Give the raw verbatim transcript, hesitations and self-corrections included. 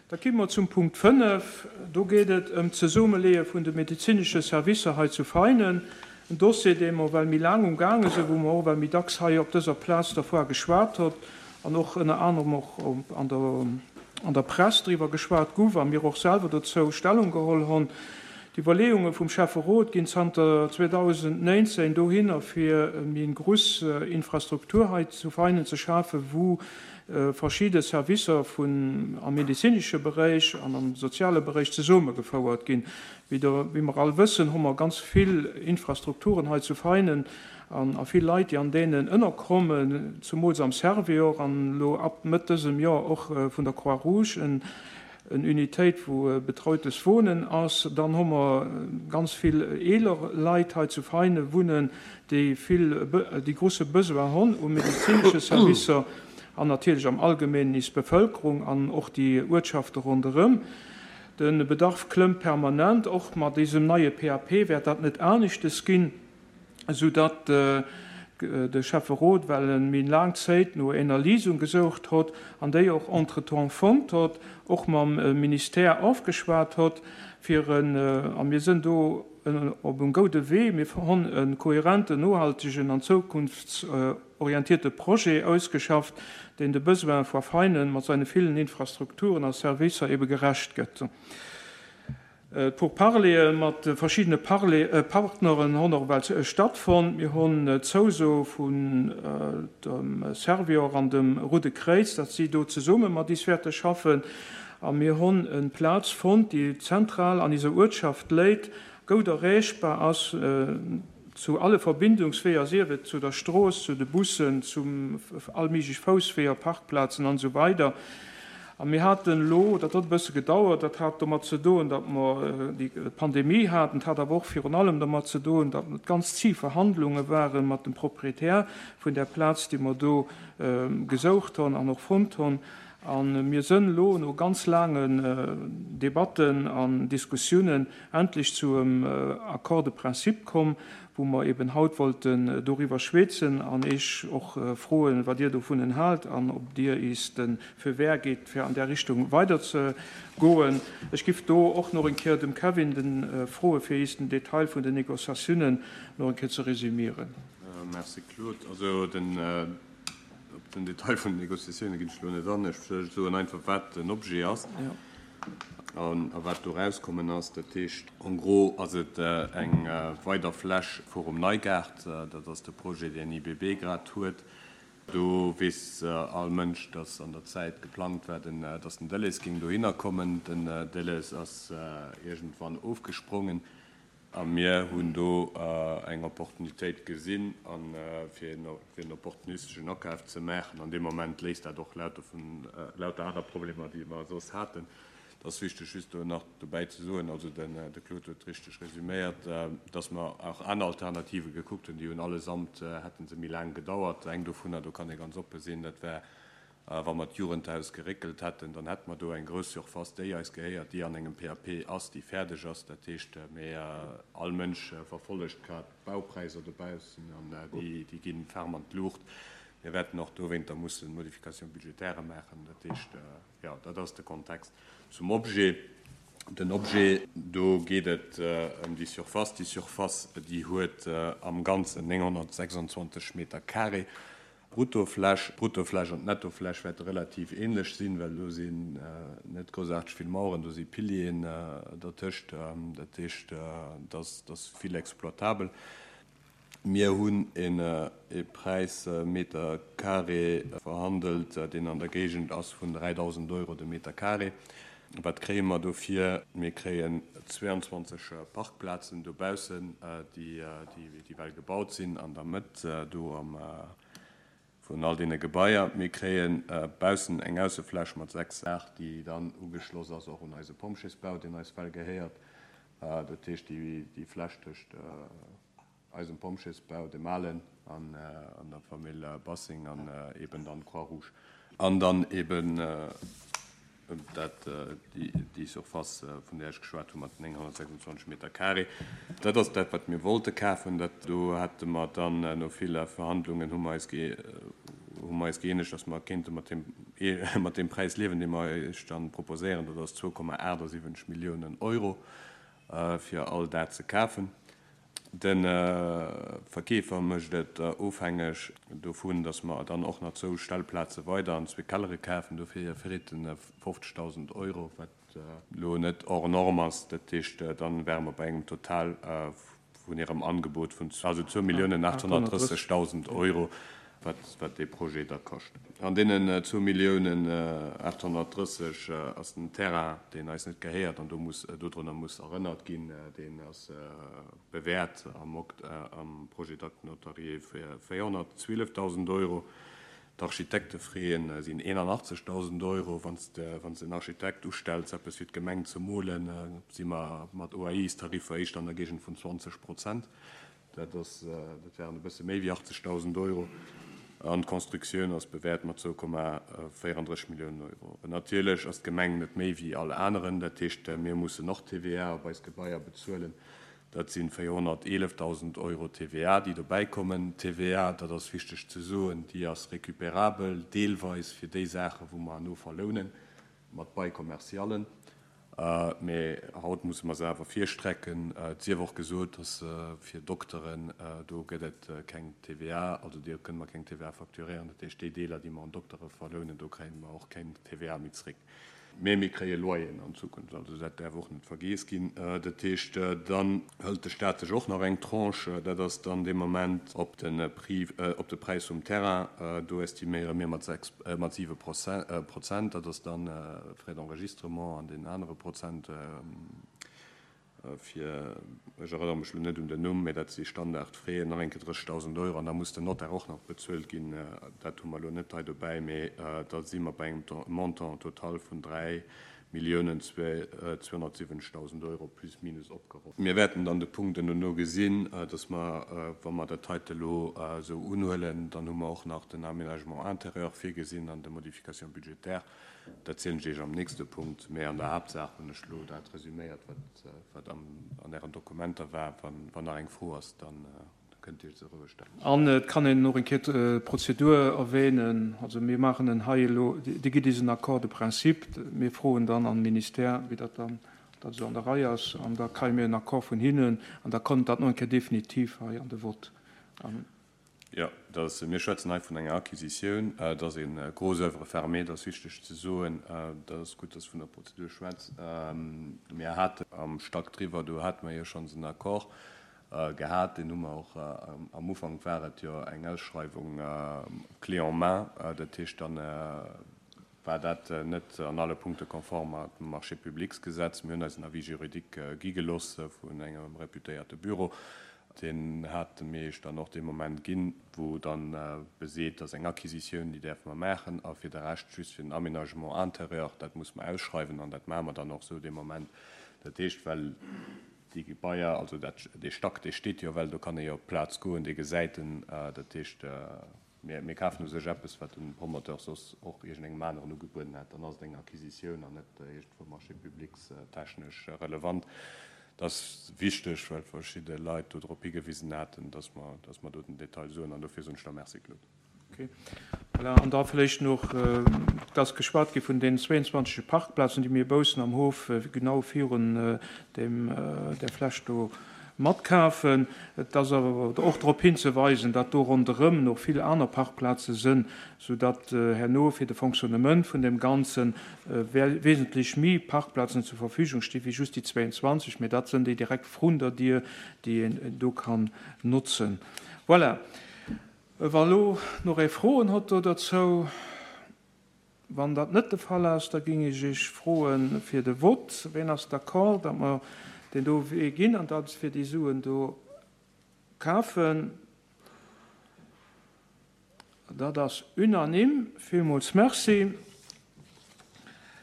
Da komme mer zum Punkt fënnef. Do geet et ëm d'Zesummeleeë vun de medezinesche Servicer hei zu Veinen. En Dossier, dee mer well méi laang umgaange sinn, wou mer och well méi dacks hei op dëser Plaz dervua geschwat hott an och ënner anerem och an der, an der Press driwwer geschwat gouf a mir och selwer dozou Stellung geholl hunn. D'Iwwerleeunge vum Schäfferot ginn zanter zweedausendnéinzéng dohinner, fir méi eng gruss Infrastruktur hei zu Veinen ze schafen, wou verschidde Servicer vun am medezinesche Beréich an am soziale Beréich zesummegefouert ginn. Wéi der, wéi mer all wëssen, hu mer ganz vill Infrastrukturen hei zu Veinen an a vill Leit, déi an deenen ënnerkommen, zumools am Servior an elo ab Mëtt dësem Joer och vun der Croix-Rouge en en Unitéit, wou betreutes Wohnen ass. Dann hu mer ganz vill eeler Leit hei zu Veinen wunnen, déi vill, déi grusse Besoin hunn u medezinesche Servicer an natierlech am Allgemeenen is Bevëlkerung an och déi Uertschafte ronderëm. De Bedarf klëmmt permanent, och mat désem neie P A P wäert dat net aneschtes ginn, soudatt de Schäfferot well en méi laang Zéit no ener Léisung gesoucht hott an déi och entretemps fonnt hott, och mam Ministère ofgeschwat hott, fir en, a mir sënn do op en goude Wee, mir honn e kohärenten, nohaltegen an zukunftsorientierte Projet ausgeschafft, deen de Besoin vu Veinen mat seine villen Infrastrukturen a Servicer ebe gerecht gëtt. D'Pourparleeë mat verschiddene Partneren hunn och well stattfonnt. Mir hunn d'Zouso vun dem Servior an dem Roude Kréiz, datt si do zesumme mat is wäerte schaffen. A mir hunn en Plaz fonnt, déi zentral an iser Uertschaft léit, goud erreechbar ass zu alle Verbindungsweeër, sief et zu der Strooss, zu de Bussen, zum all méiglech Foussweeër, Parkplazen an esou weider. A mir haten elo, dat huet e bësse gedauert, dat hat domat ze doen, datt mer déi Pandemie haten, et hat awer och virun allem domat ze doen, datt et ganz zéi Verhandlunge ware mat dem Proprietär vun där Plaz, déi mer do gesoucht hunn an och fonnt hunn. A mir sënn elo no ganz laangen Debatten an Diskussiounen endlech zu em Accord de principe komm, wou mer eben haut wollten doriwwer schwätzen an Iech och froen, wat Dir dovunnen haalt an ob Dir is de Feu vert gitt, fir an där Richtung weiderzegoen. Ech giff do och nach eng Kéier dem Kevin den froen, fir is den Detail vun den Négociatiounen nach eng Kéier ze resümieren. Merci Claude. Also den, op den Detail vun den Négociatioune ginn ech elo net an. Ech soen einfach, wat den Objet ass an a wat do erauskommen ass. Dat heescht, en gros ass et eng weider Fläch virum Neigaart. Dat ass de Projet, deen I B B grad huet. Do weess all Mënsch, dass an der Zäit geplangt war, dass den Delhaize géing dohinner kommen. Den Delhaize ass iergendwann ofgesprongen a mir hunn do eng Opportunitéit gesinn, fir en opportunisteschen Akaf ze maachen. An deem Moment léist dat och lauter vun lauter aner Problemer, déi mer soss haten. Et ass wichteg just do nach dobäi ze soen, also de Claude huet richteg resüméiert, dass mer och aner Alternative gekuckt hunn, déi hunn allesamt, hätte se méi laang gedauert. Eng dovunner, do kann ee ganz oppe sinn, dat war, wa mer d'Jugendhaus geréckelt hätten, dann hätte mer do eng grouss Surface, déi eis gehéiert, déi an engem P A P ass, déi fäerdeg ass. Dat heescht, mee all Mënsch verfollegt grad d'Baupräisser dobaussen an déi gi ferm an d'Luucht. Mir wäerten och dowéinter mussen Modification budgétaire maachen. Dat heescht, jo, dat ass de Kontext. Zum Objet. Den Objet, do geet et ëm déi Surface. Déi Surface, déi huet am Ganzen nénghonnertsechsundzwanzeg Meter carré Bruttofläch. D'Bruttofläch an d'Nettofläch wäerte relativ ähnlech sinn, well do sinn net groussaarteg vill Maueren, do si Pilieren dertëscht. Dat heescht, dat ass vill exploitabel. Mir hunn e Präis Meter carré verhandelt, deen an der Géigend ass vun dräidausend Euro de Meter carré. Wat kréie mer dofir? Mir kréien zwéianzwanzeg Parkplazen dobaussen, déi well gebaut sinn an der Mëtt do am vun all deene Gebaier. Mir kréie baussen eng Aussefläch mat sechs Saach, déi dann ugeschloss ass och un eise Pompjeesbau, deen eis well gehéiert. Dat heescht, déi Fläch tëscht eisem Pompjeesbau, dem alen, an der Famill Bassing an eben dann Croix-Rouge. An dann eben dat, déi Surface, vun där ech geschwat hu mat nénghonnertsechsundzwanzeg Meter carré. Dat ass dat, wat mir wollte kafen. Dat do hätte mer dann no ville Verhandlungen hu mer eis hu mer eis gëeenegt, dass mer kéinte mat deem mat deem Präis liewen, dee mer Iech dann proposéieren. Dat ass zwou Komma achtundsiwwenzeg Milliounen Euro, fir all dat ze kafen. De Verkeefer mécht et ofhängeg dovun, datt mer dann och nach zwou Stellplaze weider an zwee Kellere kafen. Dofir freet en fofzegdausend Euro, wat elo net hors norme ass. Dat heescht, dann wäre mer bei engem Total vun hirem Angebot vun also zwou Milliounen achthonnertdrëssegdausend Euro, wat, wat dee Projet da kascht. An deenen zwou Milliounen achthonnertdrësseg ass den Terrain, deen eis net gehéiert an do muss, dodrunner muss erënnert ginn, deen ass bewäert am Okt-, am Projet d'acte notarié fir véierhonnertzwielefdausend Euro. D'Architektefraien sinn eenanachtzegdausend Euro. Wann s de, wann s de en Architekt ustells, eppes fir d'Gemeng ze molen, si mer mat O A I-Tariffer éischter an der Géigend vun zwanzeg Prozent. Dat ass, dat wären e bësse méi wéi achtzegdausend Euro. An d'Constructioun ass bewäert mat zwou Komma véierunddrësseg Milliounen Euro. Natierlech ass d'Gemeng net méi wéi all aneren. Dat heescht, mir mussen och T V A op eis Gebaier bezuelen. Dat sinn véierhonnerteelefdausend Euro T V A, déi dobäi kommen. T V A, dat ass wichteg ze soen, déi ass récupérabel, deelweis fir déi Saachen, wou mer no verlounen, mat Bail commercialen. Mee haut musse mer se awer virstrecken. Et sief och gesot, dass fir Dokteren, do gëtt et keng T V A, also dir kënne mer keng T V A facturéieren. Dat heescht, déi Deeler, déi mer an Doktere verlounen, do kréie mer och keng T V A méi zréck. Mee mir kréie Loyeren an Zukunft, also dat däerf och net vergiess ginn. Dat heescht, dann hëlt de Staat sech och nach eng Tranche, dat ass dann dee Moment op den Prix, op de Präis vum Terrain, do estiméiere mir mat sechs, mat siwe Prozent, dat ass dann Frais d'enregistrement an den anere Prozent, fir, ech erënnere mech lo net un den Numm, mee dat si Standardfraien, nach eng Kéier drëssigtausend Euro, an da muss den Notaire och nach bezuelt ginn. Dat hu mer lo net hei dobäi, mee da si mer bei engem Montant total vun dräi Milliounen zweihundertsiwwenzigtausend Euro plus minus opgerunnt. Mir wäerten dann de Punkt elo gesinn, dass mer, wa mer dat heite lo esou unhuelen, dann hu mer och nach den Aménagement intérieur virgesinn an de Modification budgétaire. Dat zielen ech Iech am nächste Punkt, mee an der Haaptsaach hunn ech lo dat resüméiert, wat, wat am, an ären Dokumenter war. Wann, wann nach eng Fro ass, dann kënnt Dir se roueg stellen. An et kann een noch eng Kéier d'Prozedur erwähnen. Also mir machen en hei elo, déi gitt is en Accord de principe. Mir froen dann an Ministère, wéi dat dann dat so an der Reihe ass, an da kréie mir en Accord vun hinnen, an da kommt dat noch eng Kéier definitiv hei an de Vott. An Ja, das, mir schwätzen hei vun enger Acquisitioun, dat ass een gros œuvre fermée, dat ass wichteg ze soen, dat ass gutt, dass vun der Prozedur schwätz. Mir haten am Stack driwwer, do haten wir jo schonns en Accord gehat, den hu mer och am Ufank war et jo eng Ausschreibung clé en main, dat heescht dann war dat net an alle Punkte konform mat dem Marché publicsgesetz. Mir hunn eis en Avis juridique gi geloss vun engem reputéierte Büro. Den hat mir dann och de Moment ginn, wo dann beseet, dass eng Acquisitioun, déi däerfe mer maachen, a fir de Rescht just fir den Aménagement intérieur, dat muss man ausschreiwen an dat maache mer dann och so de Moment. Dat heescht, well déi Gebaier, also dat, dee Stack, dee steet jo, well do kann ee jo op d'Plaz goen, dee gesäit en, dat heescht, mir, mir kafen u sech eppes, wat den Promoteur soss och iergendengem aneren ugebueden hat, dann ass et eng Acquisitioun an net iergendwou Marché publics technesch relevant. Das ist wichtig, weil verschiedene Leute darauf hingewiesen hatten, dass wir, dass wir dort den Detail suchen. Und dafür sind wir merci, Claude. Okay. Voilà. Und da vielleicht noch, äh, das geschwat gi vun den zweiundzwanzig Parkplazen, die mir baussen am Hof, äh, genau virun, äh, dem, äh, der Fläch do matkafen. Das awer och darauf hinzuweisen, dat do ronderëm noch vill aner Parkplaze sinn, sodatt, äh, herno fir de Fonctionnement vun dem Ganzen, äh, we-, wesentlich méi Parkplazen zur Verfügung stehen, wie just die zweiundzwanzig, mee dat sinn déi direkt vrun der Dier, déi een do kann nutzen. Voilà. Wa lo noch e Froen hat do dazu, wann dat net de Fall ass, da ging ich iech froen fir de Vott. Wen ass d'accord, dat mer den do Wee ginn an dat fir déi Suen do kafen? Dat ass unanim. Villmools merci.